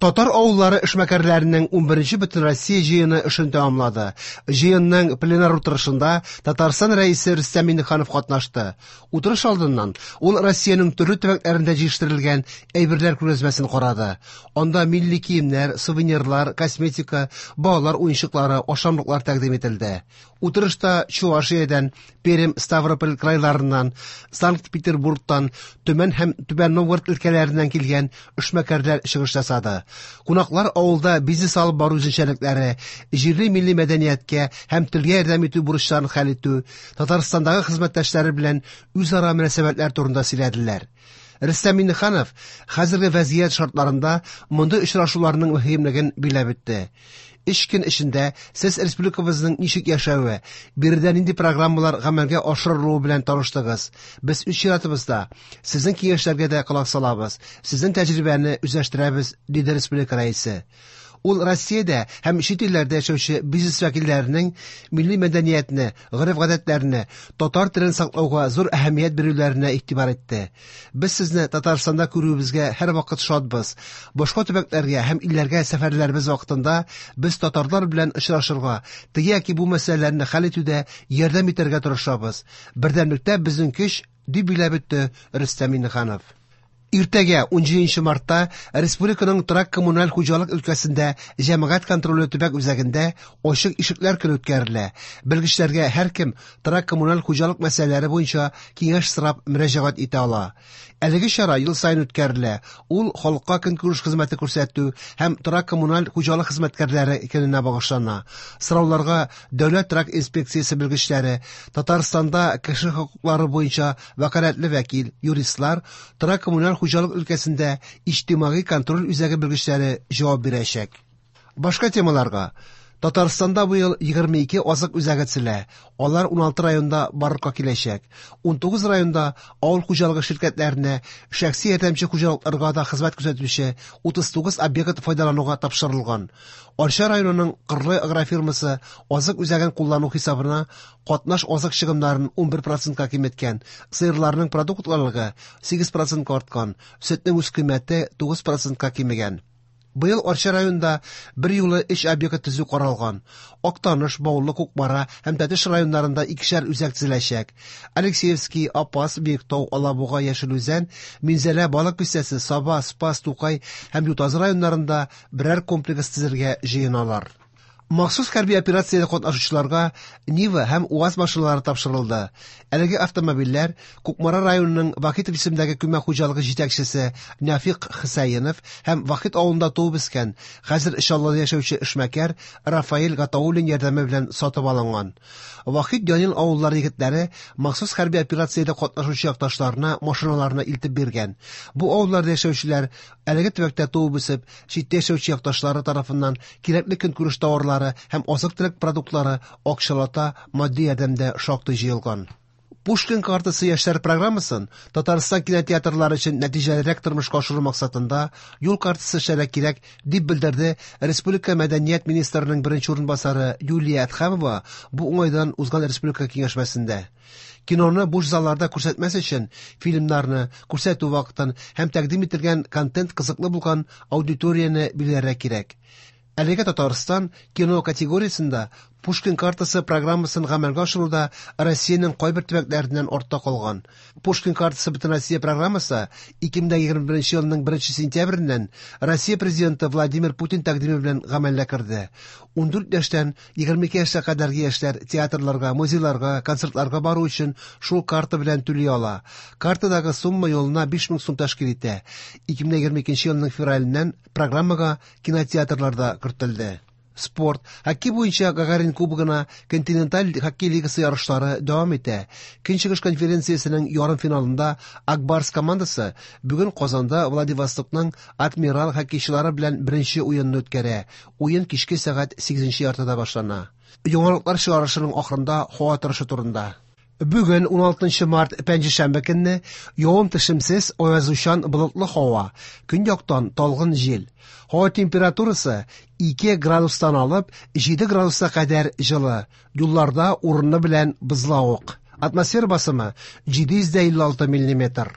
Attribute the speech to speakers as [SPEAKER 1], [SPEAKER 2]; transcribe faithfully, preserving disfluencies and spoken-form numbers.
[SPEAKER 1] Татар авыллары эшмәкәрләренең унберенче Бөтенроссия җыены эшен тәмамлады. Җыенның пленар утырышында Татарстан Рәисе Рөстәм Миңнеханов катнашты. Утырыш алдыннан ул Россиянең төрле төбәкләрендә җитештерелгән әйберләр күргәзмәсен карады. Анда милли киемнәр, сувенирлар, косметика, балалар уенчыклары, ашамлыклар тәкъдим ителде. Утырышта Чувашиядән, Пермь, Ставрополь крайларыннан, Санкт-Петербургтан, Төмән һәм Түбән Новгород өлкәләреннән килгән эшмәкәрләр чыгыш ясады. Кунаклар авылда бизнес алып бару үзенчәлекләре, җирле милли мәдәнияткә һәм телгә ярдәм итү бурычларын хәл итү, Татарстандагы хезмәттәшләре белән үзара мөнәсәбәтләр турында сөйләделәр. Рөстәм Миңнеханов хәзерге вазгыять шартларында мондый очрашуларның мөһимлеген билгеләп үтте. Өч көн эчендә сез республикабызның ничек яшәве, биредә нинди программалар гамәлгә ашырылуы белән таныштыгыз. Без үз чиратыбызда сезнең киңәшләргә дә колак салабыз, сезнең тәҗрибәне үзләштерәбез, диде республика рәисе. Ул Россиядә һәм чит илләрдә яшәүче бизнес вәкилләренең милли мәдәниятне, гореф-гадәтләрне, татар телен саклауга зур әһәмият бирүләренә игътибар итте. Без сезне Татарстанда күрүебезгә һәрвакыт шатбыз. Башка төбәкләргә һәм илләргә сәфәрләребез вакытында без татарлар белән очрашырга, теге яки бу мәсьәләләрне хәл итүдә ярдәм итәргә тырышабыз. Бердәмлектә безнең көч, дип билгеләп үтте Рөстәм Миңнеханов. Иртәгә унҗиденче мартта республиканың торак коммуналь хуҗалык өлкәсендә җәмәгать контроле төбәк үзәгендә ачык ишекләр көне үткәрелә. Белгечләргә һәркем торак коммуналь хуҗалык мәсьәләләре буенча киңәш сорап мөрәҗәгать итә ала. Әлеге чара ел саен үткәрелә. Ул халыкка көнкүреш хезмәте күрсәтү һәм торак коммуналь хуҗалык хезмәткәрләре көненә багышлана. Сорауларга Дәүләт торак инспекциясе белгечләре, Татарстанда кеше хокуклары буенча вәкаләтле вәкил, юристлар, торак коммуналь хуҗалык өлкәсендә иҗтимагый контроль үзәге белгечләре җавап бирәчәк. Башка темаларга. Татарстанда бу ел егерме ике азык үзәге төзелә. Алар уналты районда барлыкка киләчәк. Унтугыз районда авыл хуҗалыгы ширкәтләренә, шәхси ярдәмче хуҗалыкларга да хезмәт күрсәтүче утыз тугыз объект файдалануга тапшырылган. Арча районының Кырлай агрофирмасы азык үзәген куллану хисабына катнаш азык чыгымнарын унбер процентка киметкән, сыерларның продуктлылыгы сигез процентка арткан, сөтнең үз кыйммәте тугыз процентка кимегән. Быел Арча районында бер юлы өч объект төзү каралган. Актаныш, Баулы, Кукмара һәм Тәтеш районнарында икешәр үзәк төзеләчәк. Алексеевский, Апас, Биектау, Алабуга, Яшел Үзән, Минзәлә, Балык Бистәсе, Саба, Спас, Тукай һәм Ютазы районнарында берәр комплекс төзергә җыеналар. Махсус хәрби операциядә катнашучыларга Нива һәм УАЗ машиналары тапшырылды. Әлеге автомобильләр Кукмара районының Вахитов исемендәге күмәк хуҗалыгы җитәкчесе Нәфик Хәсәенов һәм Вахит авылында туып үскән, хәзер Чаллыда яшәүче эшмәкәр Рафаэль Гатауллин ярдәме белән сатып алынган. Вахит Янил авыллары егетләре махсус хәрби операциядә катнашучы якташларына машиналарны илтеп биргән. Бу авылларда яшәүчеләр әлеге төбәктә туып үсеп, читтә яшәүче якташлары тарафыннан кирәкле көнкүреш товарлары һәм азык-төлек продуктлары акчалата матди ярдәмдә шактый җыелган. Пушкин картасы яшьләр программасын Татарстан кинотеатрлары өчен нәтиҗәлерәк тормышка ашыру максатында юл картасы эшләргә кирәк, дип белдерде Республика мәдәният министрының беренче урынбасары Юлия Әдһәмова бу уңайдан узган республика киңәшмәсендә. Киноны буш залларда күрсәтмәс өчен фильмнарны күрсәтү вакытын һәм тәкъдим ителгән контент кызыклы булган аудиторияне билгеләргә кирәк. Әлегә Татарстан кино категориясендә Пушкин картасы программасын гамәлгә ашыруда Россиянең кайбер төбәкләреннән артта калган. Пушкин картасы Бөтенроссия программасы ике мең егерме беренче елның беренче сентябреннән Россия президенты Владимир Путин тәкъдиме белән гамәлгә керде. Ундүрт яшьтән егерме ике яшькә кадәрге яшьләр театрларга, музейларга, концертларга бару өчен шул карта белән түли ала. Картадагы сумма юлына биш мең сум тәшкил итә. Ике мең егерме икенче елның февраленнән программага кинотеатрлар да кертелде. Спорт, хоккей буенча Гагарин кубогына континенталь хоккей лигасы ярышлары дәвам итә. Көнчыгыш конференциясенең ярым финалында Акбарс командасы бүген Казанда Владивостокның Адмирал хоккейчылары белән беренче уенны үткәрә. Уен кичке сәгать сигезенче яртыда башлана. Яңалыклар чыгарышының ахырында һава торышы турында. Бүген уналтынчы март пәнҗешәмбе көнне явым-төшемсез, аязучан болытлы һава, көньяктан талгын җил. Һава температурасы ике градустан алып җиде градуска кадәр җылы. Юлларда урыны белән бозлавык. Атмосфера басымы җиде йөз дә илле алты миллиметр.